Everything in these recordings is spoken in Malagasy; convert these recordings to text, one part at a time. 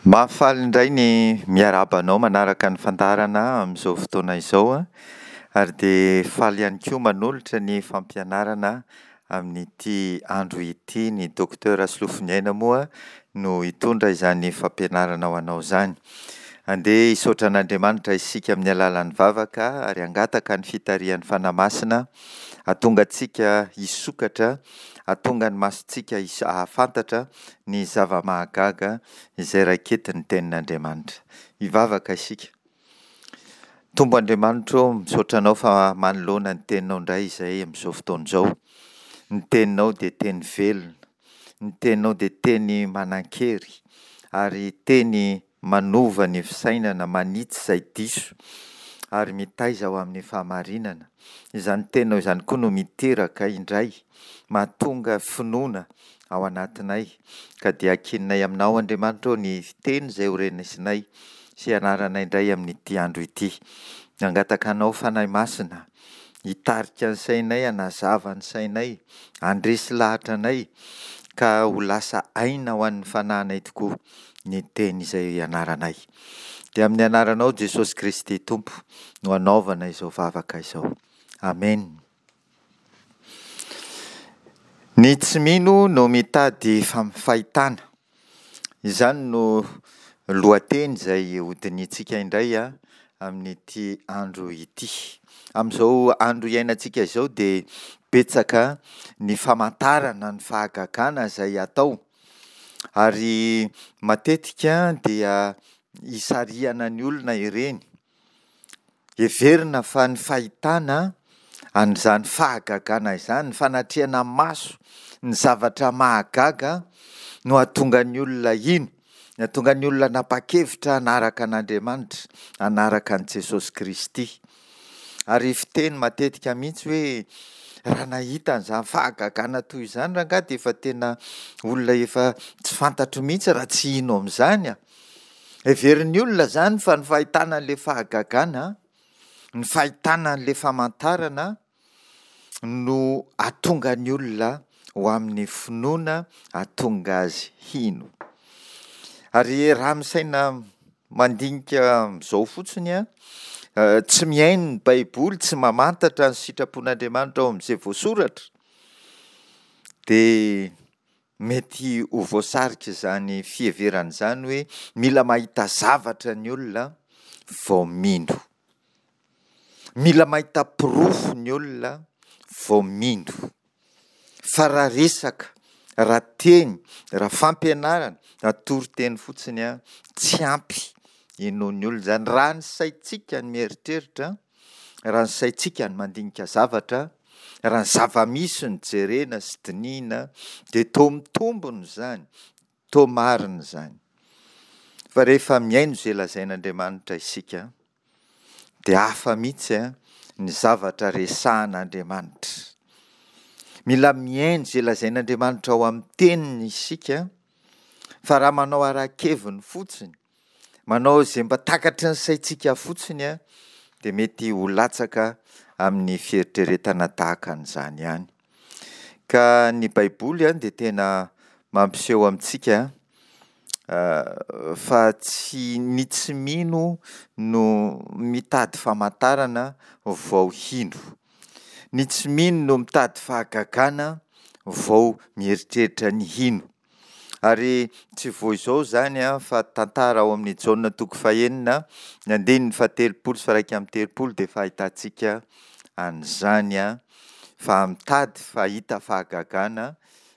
Mahafaly indray ny miarahaba anao manaraka ny fandaharana amin'izao fotoana izao ary dia faly ihany koa manolotra ny fampianarana amin'ity andro ity. Ny Docteur Rasolofoniaina moa no hitondra izany fampianarana ho anao izany. Andeha hisaotra an'Andriamanitra isika amin'ny alalan'ny vavaka ary hangataka ny fitarihan'ny Fanahy Masina hahatonga antsika hisokatra, hahatonga ny masontsika hahafantatra ny zava-mahagaga izay raiketin'ny Tenin'Andriamanitra. Hivavaka isika. Tompo Andriamanitra ô, misaotra Anao fa manoloana ny Teninao indray izay amin'izao fotoana izao. Ny Teninao dia Teny velona. Ny Teninao dia Teny manan-kery ary Teny manova ny fisainana, manitsy izay diso ary mitaiza ho amin'ny fahamarinana. Izany Teninao izany koa no miteraka indray, mahatonga finoana ao anatinay, ka dia ankininay Aminao, Andriamanitra ô, ny teny izay ho renesinay sy hianaranay indray amin'ity andro ity. Mangataka Anao, Fanahy Masina, hitarika ny sainay, hanazava ny sainay, handresy lahatra anay, ka ho lasa aina ho an'ny fanahinay tokoa ny teny izay hianaranay. Dia amin'ny anaranao, Jesosy Kristy Tompo, no anaovana izao vavaka izao. Amena. Ny tsy mino no mitady fahitana. Izany no lohateny izay hodinihintsika indray amin'ity andro ity. Amin'izao andro iainantsika izao dia betsaka ny famantarana ny fahagagana izay atao ary matetika dia isarihana ny olona ireny. Heverina fa ny fahitana an'izany fahagagana izany, ny fanatrehana maso ny zavatra mahagaga no hahatonga ny olona hino, no hahatonga ny olona hanapa-kevitra hanaraka an'Andriamanitra, hanaraka an'i Jesosy Kristy. Ary fiteny matetika mihitsy hoe raha nahita an'izany fahagagana toy izany rangahy dia efa tena olona efa tsy fantatro mihitsy raha tsy hino amin'izany aho. Heverin'ny olona izany fa ny fahitana an'ilay fahagagana, ny fahitana an'ilay famantarana no hahatonga ny olona ho amin'ny finoana, hahatonga azy hino. Ary raha misaina mandinika amin'izao fotsiny an, tsy mihaino ny Baiboly, tsy mamantatra ny sitrapon'Andriamanitra ao amin'izay voasoratra, dia Mety ho voasarik'izany fiheverana izany hoe mila mahita zavatra ny olona vao mino. Mila mahita porofo ny olona vao mino. Fa raha resaka, raha teny, raha fampianarana, raha toriteny fotsiny, tsy ampy inoan'ny olona izany. Raha ny saintsika no mieritreritra, Raha ny saintsika no mandinika zavatra, raha ny zava-misy no jerena sy dinihina dia toa mitombina izany, toa marina izany. Fa rehefa mihaino izay lazain'Andriamanitra isika dia hafa mihitsy ny zavatra resahan'Andriamanitra. Mila mihaino izay lazain'Andriamanitra ao amin'ny teniny isika fa raha manao ara-keviny fotsiny Manao izay mba takatry ny saintsika fotsiny dia mety ho latsaka amin'ny fieritreretana tahaka an'izany ihany. Ka ny Baiboly dia tena mampiseho amintsika fa tsy ny tsy mino no mitady famantarana vao hino. Ny tsy mino no mitady fahagagana vao mieritreritra ny hino. Ary tsy vao izao izany fa tantara ao amin'ny Jaona toko fahenina, ny andininy fahatelopolo sy faha-31 dia efa ahitantsika an'izany fa mitady fahita fahagagana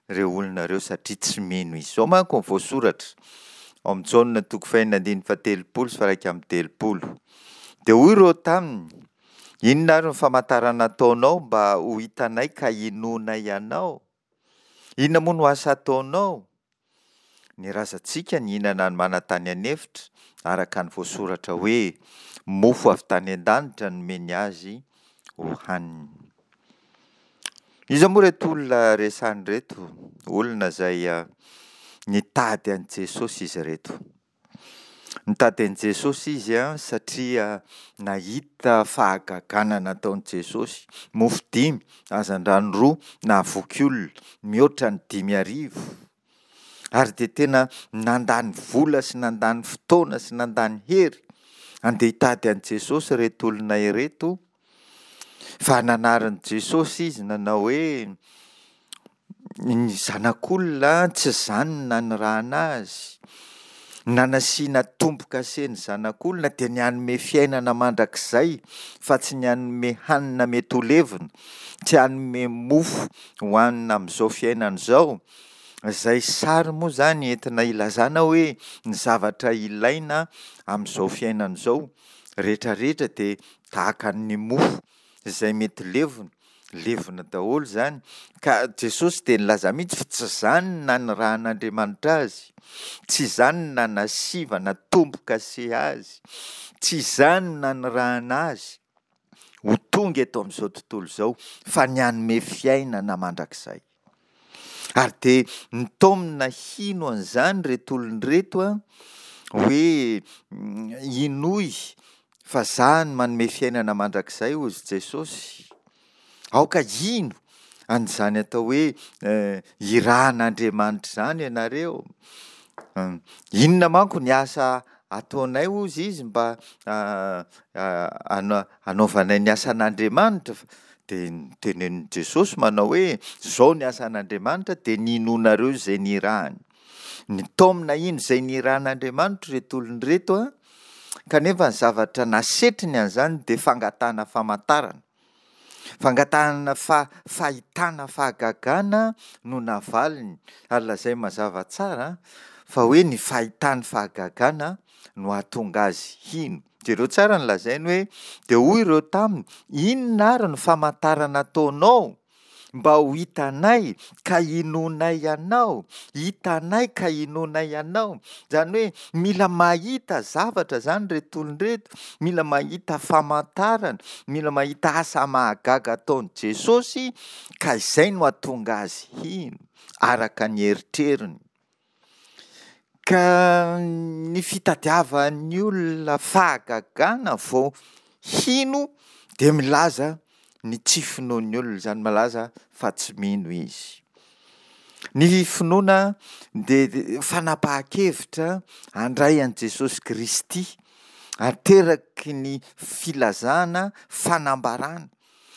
ireo olona ireo satria tsy mino izy. Izao manko ny voasoratra ao amin'ny Jaona toko fahenina andininy fahatelopolo sy faha-31. Dia hoy ireo taminy, Inona ary ny famantarana ataonao mba ho hitanay ka hinoanay anao? Inona moa no asa ataonao? Ny razantsika nihinana ny mana tany an'efitra, araka ny voasoratra hoe, Mofo avy tany an-danitra nomeny azy hohaniny. Iza moa ireto olona resahina ireto? Olona izay nitady an'i Jesosy izy ireto. Nitady an'i Jesosy izy satria nahita fahagagana nataon'i Jesosy. Mofo dimy, hazandrano roa, nahavoky olona mihoatra ny 5000. Ary dia tena nandany vola sy nandany fotoana sy nandany hery handeha hitady an'i Jesosy ireto olona ireto, fa nanarin'i Jesosy izy nanao hoe, Ny Zanak'olona tsy izany no nanirahana azy. Nanasiana tombo-kase ny Zanak'olona dia ny hanome fiainana mandrakizay fa tsy ny hanome hanina mety ho levona, tsy hanome mofo hohanina amin'izao fiainana izao, izay sary moa izany entina ilazana hoe ny zavatra ilaina amin'izao fiainana izao rehetra rehetra dia tahaka ny mofo izay mety levona, levona daholo izany, ka Jesosy dia nilaza mihitsy fa tsy izany no nanirahan'Andriamanitra azy, tsy izany no nanasivana tombo-kase azy, tsy izany no nanirahana azy ho tonga eto amin'izao tontolo izao fa ny hanome fiainana mandrakizay. Ary dia nitaomina hino an'izany ireto olona ireto an, hoe inoy fa za no manome fiainana mandrakizay hozy Jesosy. Aoka hino an'izany atao hoe irahan'Andriamanitra izany ianareo. Inona manko ny asa ataonay hozy izy mba hanaovanay ny asan'Andriamanitra? Dia notenenin'i Jesosy manao hoe, Izao ny asan'Andriamanitra, dia ny hinoanareo izay nirahany. Nitaomina hino izay nirahan'Andriamanitra ireto olona ireto, kanefa ny zavatra nasetriny an'izany dia fangatahana famantarana. Fangatahana fahitana fahagagana no navaliny, ary lazainy mazava tsara fa hoe ny fahitany fahagagana no hahatonga azy hino. Jereo tsara ny lazainy hoe, Dia hoy ireo taminy, Inona àry no famantarana ataonao mba ho hitanay ka hinoanay anao? Hitanay ka hinoanay anao. Izany hoe mila mahita zavatra izany ireto olona ireto, mila mahita famantarana, mila mahita asa mahagaga ataon'i Jesosy ka izay no hahatonga azy hino, araka ny eritreriny. Ka ny fitadiavan'ny olona fahagagana vao hino dia milaza ny tsy finoan'ny olona izany, milaza fa tsy mino izy. Ny finoana dia fanapahan-kevitra handray an'i Jesosy Kristy, ateraky ny filazana fanambarana.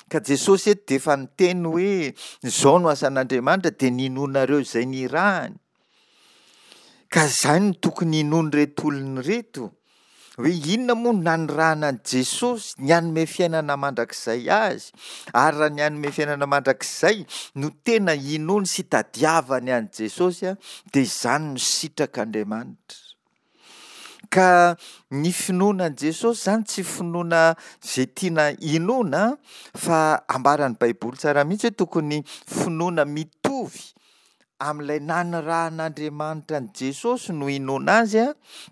Ka Jesosy eto dia efa niteny hoe izao no asan'Andriamanitra dia ninoanareo izay nirahany. Ka izany no tokony hinoan'ireto olona ireto, hoe inona moa no nanirahana an'i Jesosy, ny hanome fiainana mandrakizay azy, ary raha ny hanome fiainana mandrakizay no tena hinoany sy hitadiavany an'i Jesosy dia izany no sitrak'Andriamanitra. Ka ny finoana an'i Jesosy izany tsy finoana izay tiana hinoana fa ambaran'ny Baiboly tsara mihitsy hoe tokony finoana mitovy amin'ilay nanirahan'Andriamanitra an'i Jesosy no inoana azy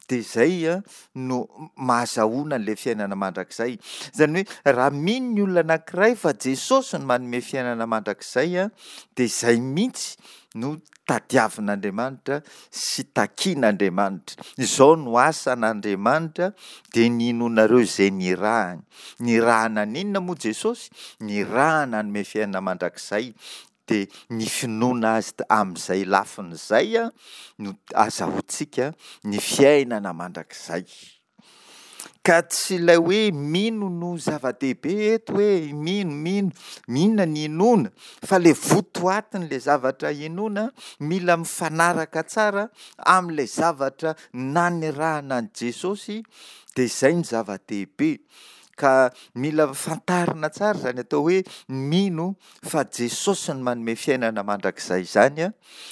dia izay no mahazahoana an'ilay fiainana mandrakizay. Izany hoe raha mino ny olona anankiray fa Jesosy no manome fiainana mandrakizay dia izay mihitsy no tadiavin'Andriamanitra sy takian'Andriamanitra. Izao no asan'Andriamanitra dia ny inoanareo izay nirahany. Nirahana an'inona moa Jesosy? Nirahana hanome fiainana mandrakizay. Dia ny finoana Azy amin'izay lafiny izay no azahoantsika ny fiainana mandrakizay. Ka tsy ilay hoe mino no zava-dehibe eto hoe mino, mino, inona ny inoana fa ilay votoatin'ilay zavatra inoana mila mifanaraka tsara amin'ilay zavatra nanirahana an'i Jesosy dia izay no zava-dehibe. Ka mila fantarina tsara izany atao hoe mino fa Jesosy no manome fiainana mandrakizay izany an,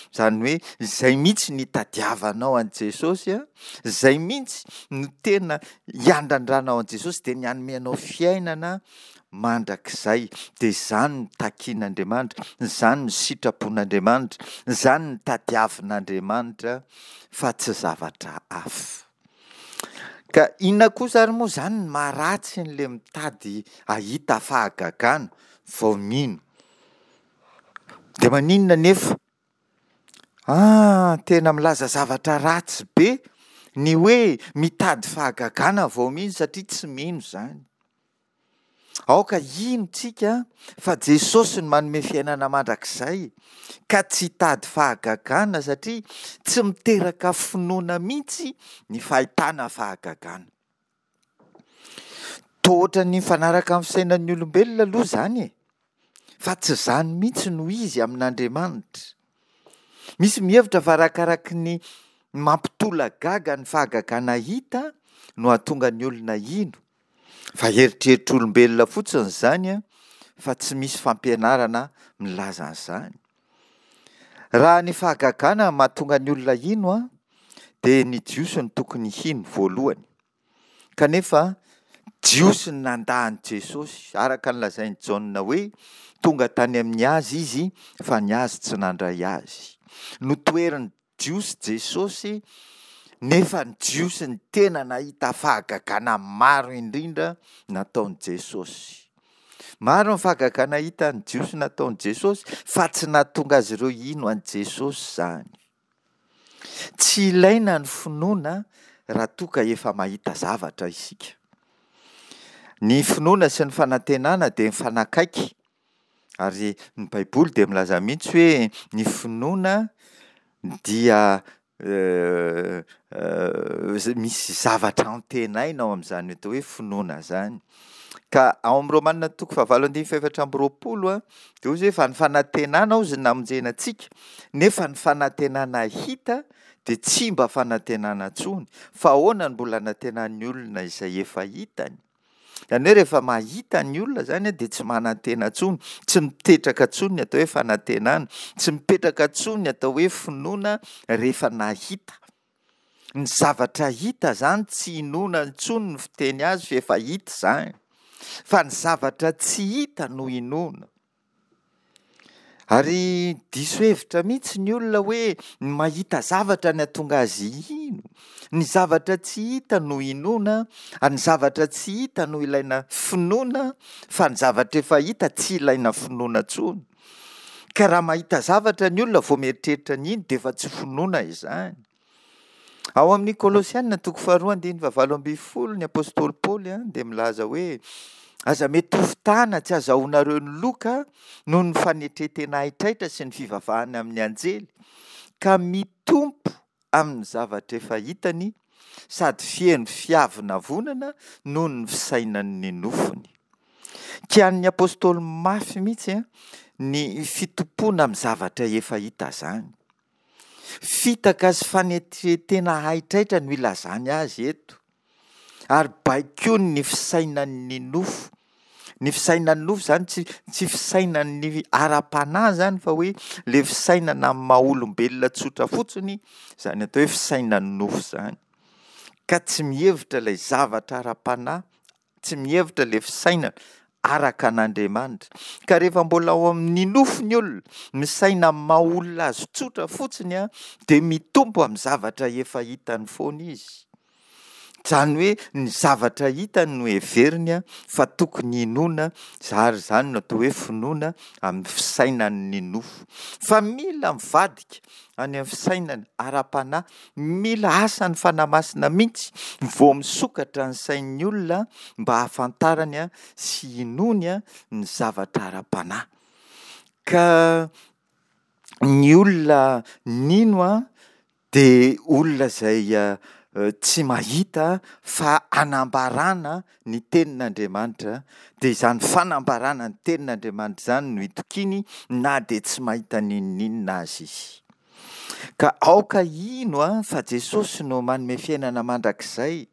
izany hoe izay mihitsy ny hitadiavanao an'i Jesosy an, izay mihitsy no tena hiandrandranao an'i Jesosy dia ny hanome anao fiainana mandrakizay, dia izany no takian'Andriamanitra, izany no sitrapon'Andriamanitra, izany no tadiavin'Andriamanitra fa tsy zavatra hafa. Ka inona kosa ary moa izany ny maharatsy an'ilay mitady hahita fahagagana vao mino? Dia maninona nefa? Ah, tena milaza zavatra ratsy be ny hoe mitady fahagagana vao mino satria tsy mino izany. Aoka hino tsika fa Jesosy no manome fiainana mandrakizay ka tsy hitady fahagagana satria tsy miteraka finoana mihitsy ny fahitana fahagagana. Toa ohatran'ny mifanaraka amin'ny fisainan'ny olombelona aloha izany e! Fa tsy izany mihitsy no izy amin'Andriamanitra. Misy mihevitra fa arakaraky ny mampitolagaga ny fahagagana hita no hahatonga ny olona hino. Fa eritreritr'olombelona fotsiny izany fa tsy misy fampianarana milaza an'izany. Raha ny fahagagana mahatonga ny olona hino dia ny Jiosy no tokony hino voalohany. Kanefa Jiosy ny nandà an'i Jesosy, araka ny lazain'i Jaona hoe, Tonga tany amin'ny azy izy, fa ny azy tsy nandray azy. Notoherin'ny Jiosy Jesosy, nefa ny Jiosy ny tena nahita fahagagana maro indrindra nataon'i Jesosy. Maro ny fahagagana hitan'ny Jiosy nataon'i Jesosy, fa tsy nahatonga azy ireo hino an'i Jesosy izany. Tsy ilaina ny finoana raha toa ka efa mahita zavatra isika. Ny finoana sy ny fanantenana dia mifanakaiky ary ny Baiboly dia milaza mihitsy hoe ny finoana dia misy zavatra antenaina ao amin'izany atao hoe finoana izany. Ka ao amin'ny Romana toko fahavalo andininy fahefatra amby roapolo dia hoy izy hoe fa ny fanantenana hozy no namonjena antsika, nefa ny fanantenana hita dia tsy mba fanantenana intsony, fa ahoana no mbola anantenan'ny olona izay efa hitany? Izany hoe rehefa mahita ny olona izany dia tsy manantena intsony, tsy mipetraka intsony ny atao hoe fanantenana, tsy mipetraka intsony ny atao hoe finoana rehefa nahita. Ny zavatra hita zany tsy inoana intsony ny fiteny azy f'efa hita izany. Fa ny zavatra tsy hita no inoana. Ary diso hevitra mihitsy ny olona hoe ny mahita zavatra ny hatonga azy hino. Ny zavatra tsy hita no inoana, ary ny zavatra tsy hita no ilaina finoana, fa ny zavatra efa hita tsy ilaina finoana intsony. Ka raha mahita zavatra ny olona vao mieritreritra ny hino dia efa tsy finoana izany. Ao amin'ny Kolosiana toko faharoa andininy fahavalo ambin'ny folo ny apostoly Paoly dia milaza hoe aza mety ho fitana tsy azahoanareo ny loka noho ny fanetren-tena haitraitra sy ny fivavahana amin'ny anjely ka mitompo amin'ny zavatra efa hitany sady feno fiavonavonana noho ny fisainan'ny nofony. Kianin'ny apostoly mafy mihitsy ny fitompoana amin'ny zavatra efa hita izany. Fitaka sy fanetren-tena haitraitra no ilazany azy eto. Ary baikoiny ny fisainan'ny nofo. Ny fisainan'ny nofo izany tsy tsy fisainan'ny ara-panahy izany fa hoe ilay fisainana amin'ny maha olombelona tsotra fotsiny izany atao hoe fisainan'ny nofo izany. Ka tsy mihevitra ilay zavatra ara-panahy, tsy mihevitra ilay fisainana araka an'Andriamanitra. Ka rehefa mbola ao amin'ny nofo ny olona, misaina amin'ny maha olona azy tsotra fotsiny dia mitombo amin'ny zavatra efa hitany foana izy. Izany hoe ny zavatra hitany no heveriny fa tokony hinoana, ary izany no atao hoe finoana amin'ny fisainan'ny nofo. Fa mila mivadika any amin'ny fisainana ara-panahy, mila asan'ny Fanahy Masina mihitsy vao misokatra ny sain'ny olona mba hahafantarany sy hinoany ny zavatra ara-panahy. Ka ny olona nino dia olona izay tsy mahita fa anambarana ny tenin'Andriamanitra, dia izany fanambarana ny tenin'Andriamanitra izany no itokiany na dia tsy mahita n'inon'inona aza izy. Ka aoka hino fa Jesosy no manome fiainana mandrakizay,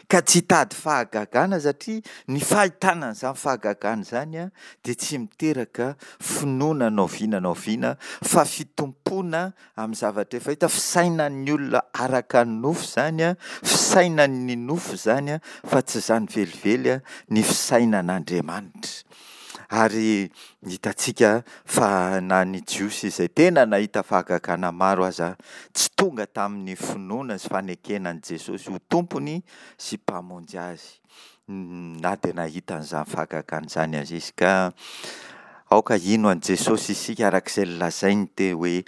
ka tsy hitady fahagagana satria ny fahitana an'izany fahagagana izany dia tsy miteraka finoana na oviana na oviana fa fitompoana amin'ny zavatra efa hita, fisainan'ny olona araka ny nofo izany, fisainan'ny nofo izany fa tsy izany velively ny fisainan'Andriamanitra. Ary hitantsika fa na ny Jiosy izay tena nahita fahagagana maro aza tsy tonga tamin'ny finoana sy fanekena an'i Jesosy ho Tompony sy Mpamonjy azy na dia nahita an'izany fahagagana izany aza izy. Ka aoka hino an'i Jesosy isika araka izay nolazainy teo hoe.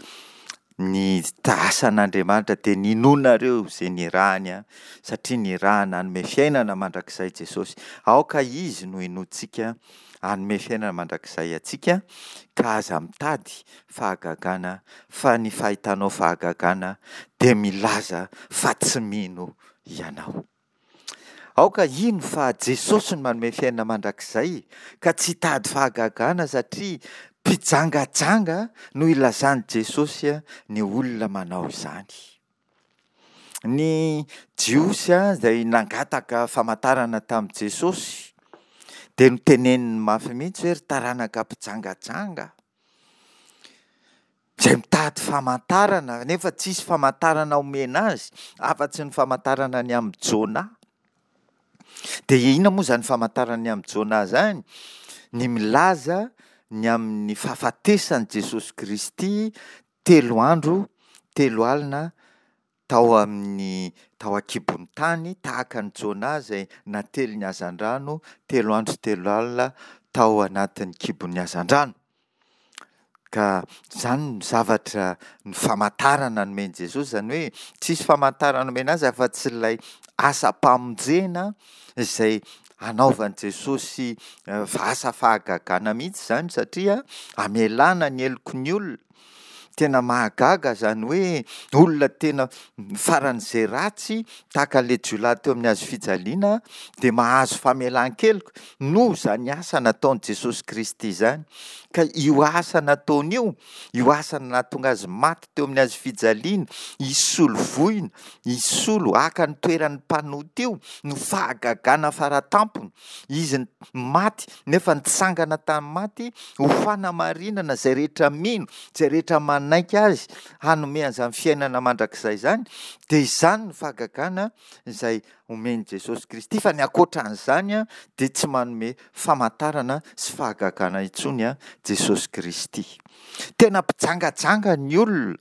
Ny asan'Andriamanitra dia ny inoanareo izay nirahany, satria nirahana hanome fiainana mandrakizay Jesosy. Aoka Izy no hinoantsika hanome fiainana mandrakizay antsika, ka aza mitady fahagagana, fa ny fahitanao fahagagana dia milaza fa tsy mino ianao. Aoka hino fa Jesosy no manome fiainana mandrakizay ka tsy hitady fahagagana satria mpijangajanga no ilazan'i Jesosy ny olona manao izany. Ny Jiosy izay nangataka famantarana tamin'i Jesosy dia noteneniny mafy mihitsy hoe ry taranaka mpijangajanga. Izay mitady famantarana nefa tsisy famantarana omena azy afa-tsy ny famantarana ny amin'i Jona. Dia inona moa izany famantarana ny amin'i Jona izany? Ny milaza ny amin'ny fahafatesan'i Jesosy Kristy telo andro, telo alina tao amin'ny tao an-kibon'ny tany tahaka an'i Jona izay natelin'ny hazandrano telo andro telo alina tao anatin'ny kibon'ny hazandrano. Ka izany no zavatra, ny famantarana nomen'i Jesosy, izany hoe tsisy famantarana nomena azy afa-tsy ilay asam-pamonjena izay hanaovan'i Jesosy asa fahagagana mihitsy izany satria hamelana ny heloky ny olona. Tena mahagaga izany hoe olona tena faran'izay ratsy tahaka an'ilay jiolahy teo amin'ny hazo fijaliana dia mahazo famelan-keloka noho izany asa nataon'i Jesosy Kristy izany. Ka io asa nataony io, io asa nahatonga azy maty teo amin'ny hazo fijaliana, hisolo voina, hisolo, haka ny toeran'ny mpanota io no fahagagana faratampony. Izy maty nefa nitsangana tamin'ny maty ho fanamarinana izay rehetra mino, izay rehetra manaiky azy hanome an'izany fiainana mandrakizay izany, dia izany no fahagagana izay omen'i Jesosy Kristy, fa ny ankoatra an'izany dia tsy manome famantarana sy fahagagana intsony Jesosy Kristy. Tena mpijangajanga ny olona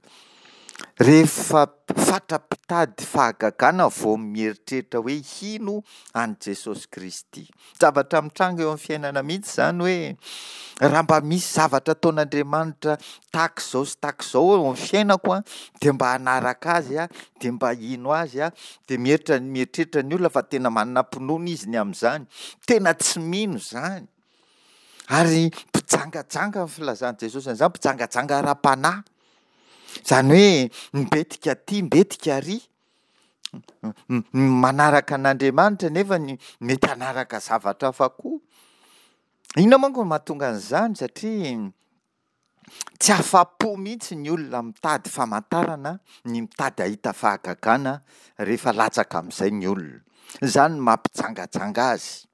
Rehefa fatra-pitady fahagagana vao mieritreritra hoe hino an'i Jesosy Kristy. Zavatra mitranga eo amin'ny fiainana mihitsy izany hoe raha mba misy zavatra ataon'Andriamanitra tahaka izao sy tahaka izao eo amin'ny fiainako an, dia mba hanaraka azy aho, dia mba hino azy aho, dia mieritreritra mieritreritra ny olona fa tena manam-pinoana izy ny amin'izany. Tena tsy mino izany. Ary mpijangajanga ny filazan'i Jesosy an'izany, mpijangajanga ara-panahy. Izany hoe mbetika aty, mbetika ary, manaraka an'Andriamanitra nefa ny mety hanaraka zavatra hafa koa. Inona manko no mahatonga an'izany? Satria tsy afa-po mihitsy ny olona mitady famantarana, ny mitady hahita fahagagana rehefa latsaka amin'izay ny olona. Izany no mampijangajanga azy.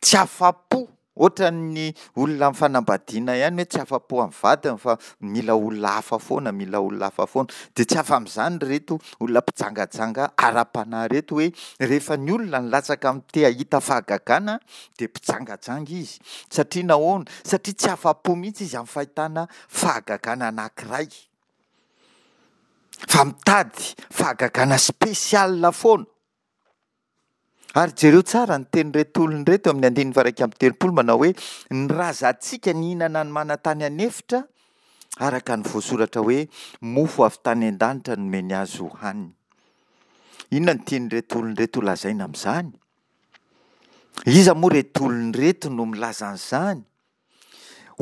Tsy afa-po, ohatran'ny olona amin'ny fanambadiana ihany hoe tsy afa-po amin'ny vadiny fa mila olona hafa foana, mila olona hafa foana. Dia tsy afa amin'izany ireto olona mpijangajanga ara-panahy ireto hoe rehefa ny olona nilatsaka amin'ny te hahita fahagagana dia mpijangajanga izy. Satria nahoana? Satria tsy afa-po mihitsy izy amin'ny fahitana fahagagana anankiray. Fa mitady fahagagana spécial foana. Ary jereo tsara ny tenin'ireto olona ireto amin'ny andininy faha-31 manao hoe, Ny razantsika nihinana ny mana tany an'efitra, araka ny voasoratra hoe, Mofo avy tany an-danitra nomeny azy hohaniny. Inona no tian'ireto olona ireto holazaina amin'izany? Iza moa ireto olona ireto no milaza an'izany?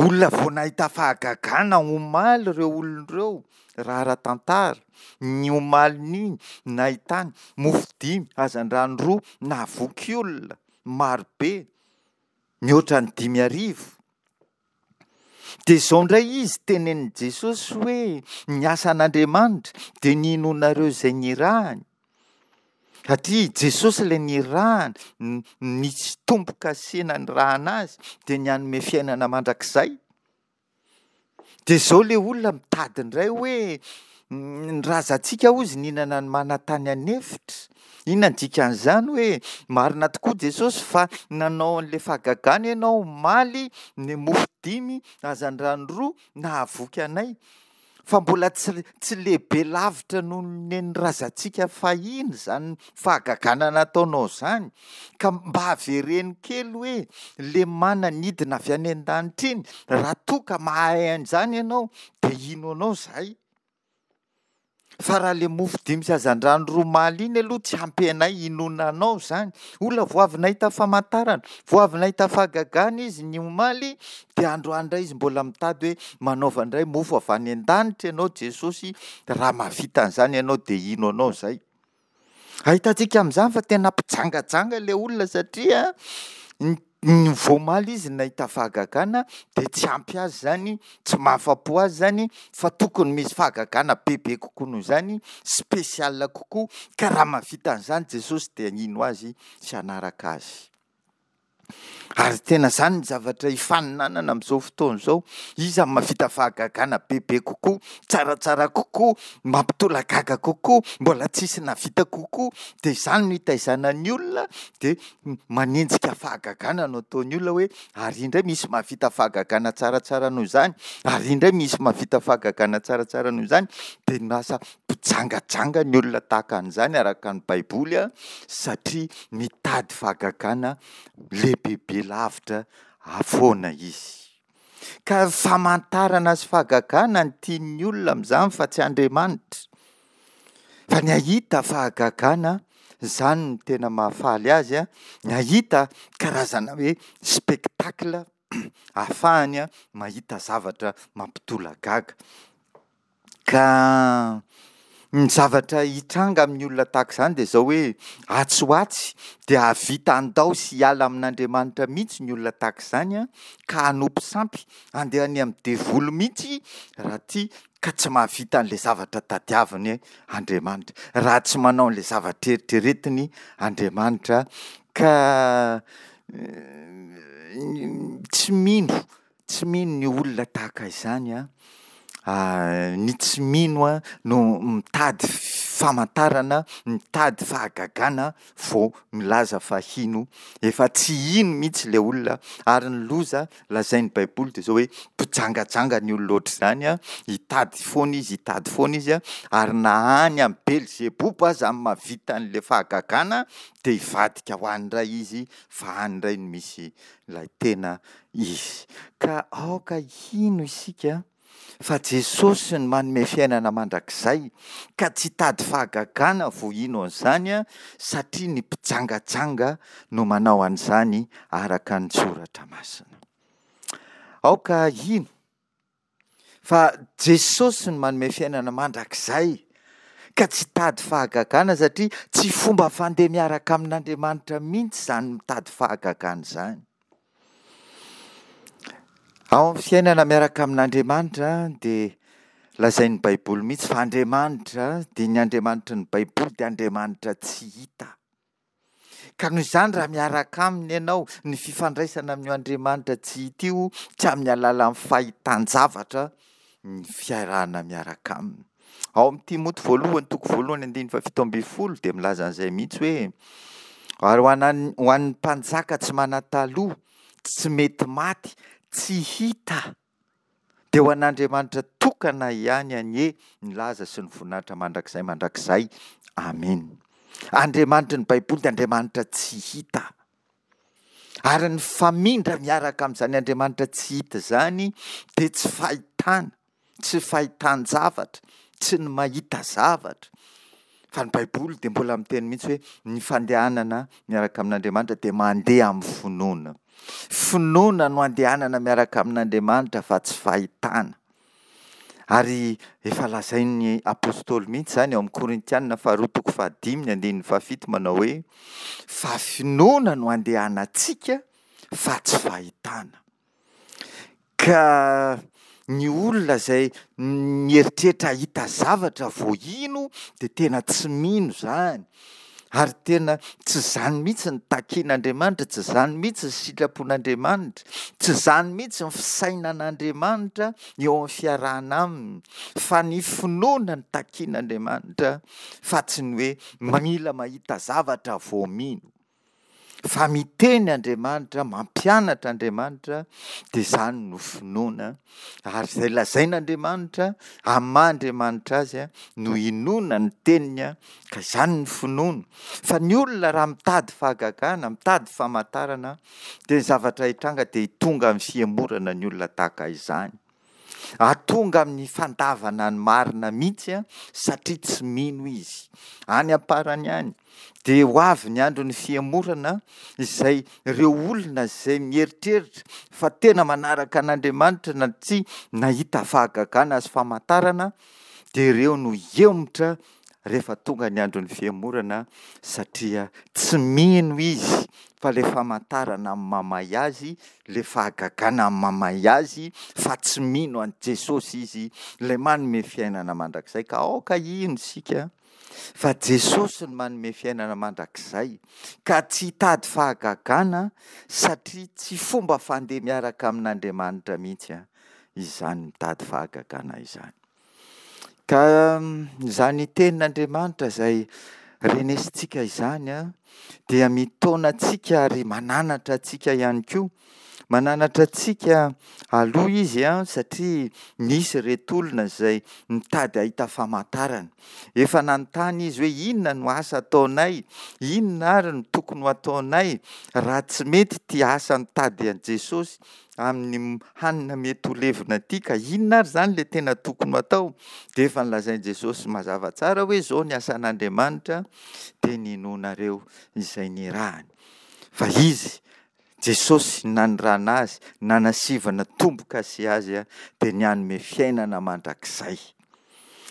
Olona vao nahita fahagagana omaly ireo olona ireo, raha ara-tantara. Ny omalin'iny nahitany mofo dimy, hazandrano roa, nahavoky olona marobe, mihoatra ny 5000. Dia izao indray izy tenenin'i Jesosy hoe ny asan'Andriamanitra dia ny hinoanareo izay nirahany. Satria i Jesosy ilay nirahana, nisy tombo-kase nanirahana azy, dia ny hanome fiainana mandrakizay. Dia izao ilay olona mitady indray hoe ny razantsika hozy nihinana ny mana tany an'efitra. Inona ny dikan'izany hoe marina tokoa Jesosy fa nanao an'ilay fahagagana ianao omaly, ny mofo dimy, hazandrano roa, nahavoky anay. Fa mbola tsy tsy lehibe lavitra noho ny nen'ny razantsika fahiny izany fahagagana nataonao izany, ka mba avereno kely hoe le mana nidina avy any an-danitra iny, raha toa ka mahay an'izany ianao dia hino anao izahay. Fa raha le mofo dimy sy hazandrano roa omaly iny aloha tsy ampy anay hinoana anao izany. Olona vao avy nahita famantarana, vao avy nahita fahagagana izy ny omaly, dia androany indray izy mbola mitady hoe manaova indray mofo avy any an-danitra ianao Jesosy, raha mahavita an'izany ianao dia hino anao izahay. Ahitantsika amin'izany fa tena mpijangajanga ilay olona satria ny vao omaly izy nahita fahagagana dia tsy ampy azy izany, tsy mahafa-po azy izany fa tokony misy fahagagana bebe kokoa noho izany, spécial kokoa, ka raha mahavita an'izany Jesosy dia hino azy sy hanaraka azy. Ary tena izany ny zavatra ifaninanana amin'izao fotoana izao. Iza no mahavita fahagagana bebe kokoa, tsaratsara kokoa, mampitolagaga kokoa, mbola tsisy nahavita kokoa. Dia izany no itaizana ny olona, dia manenjika fahagagana no ataon'ny olona hoe ary indray misy mahavita fahagagana tsaratsara noho izany, ary indray misy mahavita fahagagana tsaratsara noho izany. Dia lasa mpijangajanga ny olona tahaka an'izany araka ny Baiboly satria mitady fahagagana lehibebe lavitra foana izy. Ka famantarana sy fahagagana no tian'ny olona amin'izany fa tsy Andriamanitra. Fa ny hahita fahagagana, izany no tena mahafaly azy, ny hahita karazana hoe spectacle ahafahany mahita zavatra mampitolagaga. Ka ny zavatra hitranga amin'ny olona tahaka izany dia izao hoe atsy ho atsy dia hahavita handao sy hiala amin'Andriamanitra mihitsy ny olona tahaka izany an, ka hanompo sampy, handeha any amin'ny devoly mihitsy raha tia ka tsy mahavita an'ilay zavatra tadiaviny Andriamanitra, raha tsy manao an'ilay zavatra eritreretiny Andriamanitra ka tsy mino Tsy mino ny olona tahaka izany an, ny tsy mino an no mitady famantarana, mitady fahagagana vao milaza fa hino, efa tsy hino mihitsy ilay olona ary ny loza lazain'ny baiboly dia izao hoe mpijangajanga ny olona ohatr'izany an, hitady foana izy, hitady foana izy an, ary na any amin'i Belzeboba aza no mahavita an'ilay fahagagana dia hivadika ho any indray izy fa any indray no misy ilay tena izy. Ka aoka hino isika fa Jesosy no manome fiainana mandrakizay ka tsy hitady fahagagana vao hino an'izany satria ny mpijangajanga no manao an'izany araka ny soratra masina. Aoka hino Fa Jesosy no manome fiainana mandrakizay ka tsy hitady fahagagana satria tsy fomba fandeha miaraka amin'Andriamanitra mihitsy izany mitady fahagagana izany. Ao amin'ny fiainana miaraka amin'Andriamanitra dia lazain'ny Baiboly mihitsy fa Andriamanitra dia ny Andriamanitry ny Baiboly dia Andriamanitra tsy hita. Ka noho izany raha miaraka aminy ianao, ny fifandraisana amin'io Andriamanitra tsy hita io, tsy amin'ny alalan'ny fahitan-javatra ny fiarahana miaraka aminy. Ao amin'ny Timoty voalohany toko voalohany andininy faha-17 dia milaza an'izay mihitsy hoe ary ho an'ny ho an'ny mpanjaka tsy manan-taloha, tsy mety maty, tsy hita. Dia ho an'Andriamanitra tokana ihany anie ny laza sy ny voninahitra mandrakizay mandrakizay. Amena. Andriamanitry ny Baiboly dia Andriamanitra tsy hita. Ary ny famindra miaraka amin'izany Andriamanitra tsy hita izany dia tsy fahitana, tsy fahitan-javatra, tsy ny mahita zavatra. Fa ny Baiboly dia mbola miteny mihitsy hoe ny fandehanana miaraka amin'Andriamanitra dia mandeha amin'ny finoana. Finoana no andehanana miaraka amin'Andriamanitra fa tsy fahitana. Ary efa lazain'ny apostoly mihitsy izany ao amin'ny Korintianina faharoa toko fahadimy ny andininy fahafito manao hoe fa finoana no andehanantsika fa tsy fahitana. Ka ny olona izay mieritreritra hahita zavatra vao hino dia tena tsy mino izany. Ary tena tsy izany mihitsy ny takian'Andriamanitra, tsy izany mihitsy ny sitrapon'Andriamanitra, tsy izany mihitsy ny fisainan'Andriamanitra eo amin'ny fiarahana aminy, fa ny finoana no takian'Andriamanitra fa tsy ny hoe mila mahita zavatra vao mino. Fa miteny Andriamanitra, mampianatra Andriamanitra, dia izany no finoana. Ary izay lazain'Andriamanitra, amin'ny maha Andriamanitra Azy, no inoana ny teniny, ka izany ny finoana. Fa ny olona raha mitady fahagagana, mitady famantarana, dia ny zavatra hitranga dia tonga amin'ny fihemorana ny olona tahaka izany. Hahatonga amin'ny fandavana ny marina mihitsy satria tsy mino izy. Any am-parany any dia ho avy ny andron'ny fihemorana izay ireo olona izay mieritreritra fa tena manaraka an'Andriamanitra na tsy nahita fahagagana sy famantarana dia ireo no hiemotra rehefa tonga ny andron'ny fihemorana satria tsy mino izy fa ilay famantarana mamay azy, ilay fahagagana mamay azy fa tsy mino an'i Jesosy izy ilay manome fiainana mandrakizay ka aoka hino isika fa Jesosy no manome fiainana mandrakizay ka tsy hitady fahagagana satria tsy fomba fandeha miaraka amin'Andriamanitra mihitsy izany mitady fahagagana izany. Ka izany tenin'Andriamanitra izay renesintsika izany dia mitaona antsika ary mananatra antsika ihany koa. Mananatra antsika aloha izy satria nisy ireto olona izay nitady hahita famantarana. Efa nanontany izy hoe inona no asa ataonay? Inona ary no tokony ho ataonay raha tsy mety ity asa mitady an'i Jesosy amin'ny hanina mety ho levona ity ka inona ary izany ilay tena tokony ho atao? Dia efa nolazain'i Jesosy mazava tsara hoe izao ny asan'Andriamanitra dia ny inoanareo izay nirahany. Fa Izy, Jesosy, nanirahana azy, nanasivana tombo-kase azy dia ny hanome fiainana mandrakizay.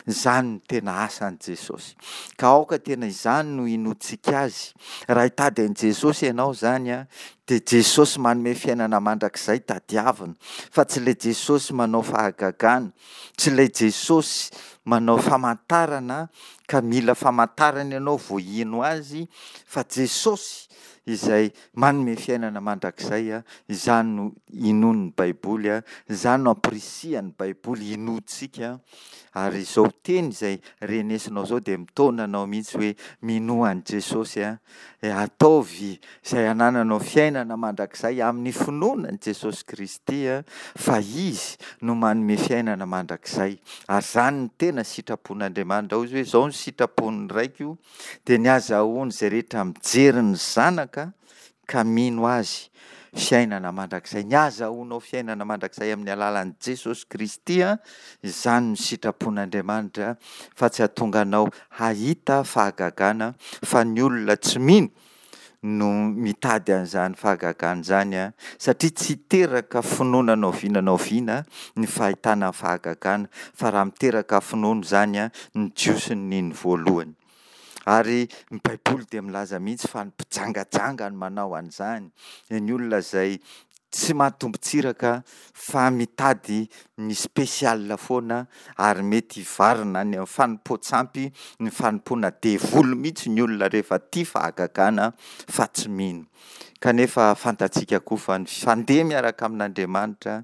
Izany no tena asan'i Jesosy. Ka aoka tena izany no hinoantsika Azy. Raha hitady an'i Jesosy ianao izany an, dia Jesosy manome fiainana mandrakizay tadiavina, fa tsy ilay Jesosy manao fahagagana, tsy ilay Jesosy manao famantarana ka mila famantarana ianao vao hino Azy, fa Jesosy izay manome fiainana mandrakizay, izany no inoan'ny Baiboly, izany no ampirisihan'ny Baiboly hinoantsika, ary izao teny izay renesinao izao dia mitaona anao mihitsy hoe minoa an'i Jesosy, ataovy izay hanananao fiainana mandrakizay amin'ny finoana an'i Jesosy Kristy fa Izy no manome fiainana mandrakizay, ary izany no tena sitrapon'Andriamanitra, hoy Izy hoe izao no sitrapon'ny Raiko dia ny azahoan'izay rehetra mijery ny Zanaka ka mino Azy fiainana mandrakizay. Ny azahoanao fiainana mandrakizay amin'ny alalan'i Jesosy Kristy, izany no sitrapon'Andriamanitra fa tsy hahatonga anao hahita fahagagana fa ny olona tsy mino no mitady an'izany fahagagana izany satria tsy hiteraka finoana na oviana na oviana ny fahitana fahagagana fa raha miteraka finoana izany ny Jiosy no nino voalohany. Ary ny Baiboly dia milaza mihitsy fa ny mpijangajanga no manao an'izany, ny olona izay tsy mahatombo-tsiraka fa mitady ny spécial foana ary mety hivarina any amin'ny fanompoan-tsampy, ny fanompoana devoly mihitsy ny olona rehefa tia fahagagana fa tsy mino. Kanefa fantatsika koa fa ny fandeha miaraka amin'Andriamanitra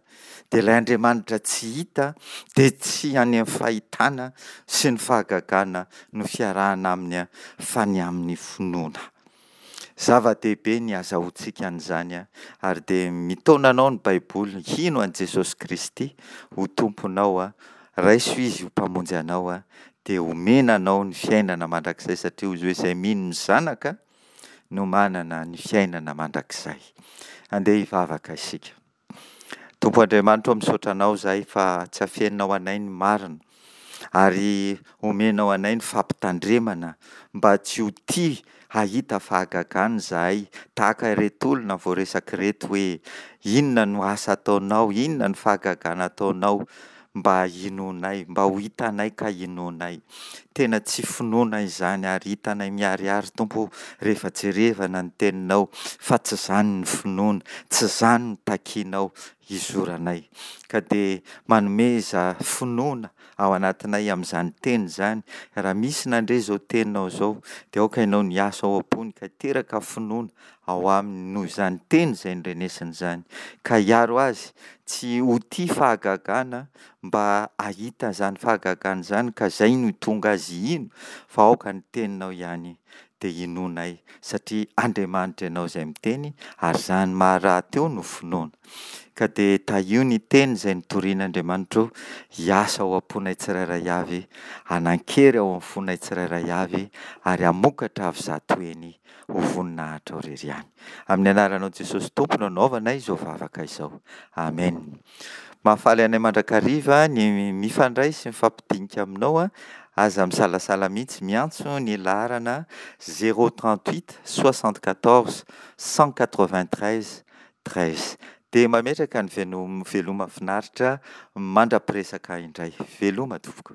dia ilay Andriamanitra tsy hita dia tsy any amin'ny fahitana sy ny fahagagana no fiarahana aminy fa ny amin'ny finoana. Zava-dehibe ny hazahoantsika an'izany ary dia mitaona anao ny Baiboly hino an'i Jesosy Kristy ho Tomponao, raiso Izy ho Mpamonjy anao dia homena anao ny fiainana mandrakizay satria hoy Izy hoe izay mino ny Zanaka no manana ny fiainana mandrakizay. Andeha hivavaka isika. Tompo Andriamanitra ô misaotra Anao izahay fa tsy afeninao anay ny marina ary omenao anay ny fampitandremana mba tsy ho tia hahita fahagagana izahay tahaka ireto olona voaresaka ireto hoe inona no asa ataonao, inona no fahagagana ataonao mba hinoanay, mba ho hitanay ka hinoanay. Tena tsy finoana izany ary hitanay miharihary Tompo o rehefa jerevana ny teninao fa tsy izany ny finoana, tsy izany no takianao hizoranay. Ka dia manomeza finoana ao anatinay amin'izany teny izany, raha misy nandre izao teninao izao dia aoka ianao no hiasa ao am-pony ka hiteraka finoana ao aminy noho izany teny izay norenesiny izany, ka hiaro azy tsy ho tia fahagagana mba hahita izany fahagagana izany ka izay no tonga azy hino fa aoka ny teninao ihany dia hinoanay satria Andriamanitra ianao izay miteny ary izany maha rahateo no finoana ka dia tahio ny teny izay notorian'Andriamanitra hiasa ao am-ponay tsirairay avy hanan-kery ao amin'ny fonay tsirairay avy ary hamokatra avy zato heny ho voninahitrao irery ihany. Amin'ny anaranao Jesosy Tompo no anaovanay izao vavaka izao. Amen. Mahafaly anay mandrakariva ny mifandray sy mifampidinika aminao an, aza misalasala mihitsy miantso ny laharana 038 74 193 13. Dia mametraka ny veloma finaritra mandra-piresaka indray. Veloma tompoko.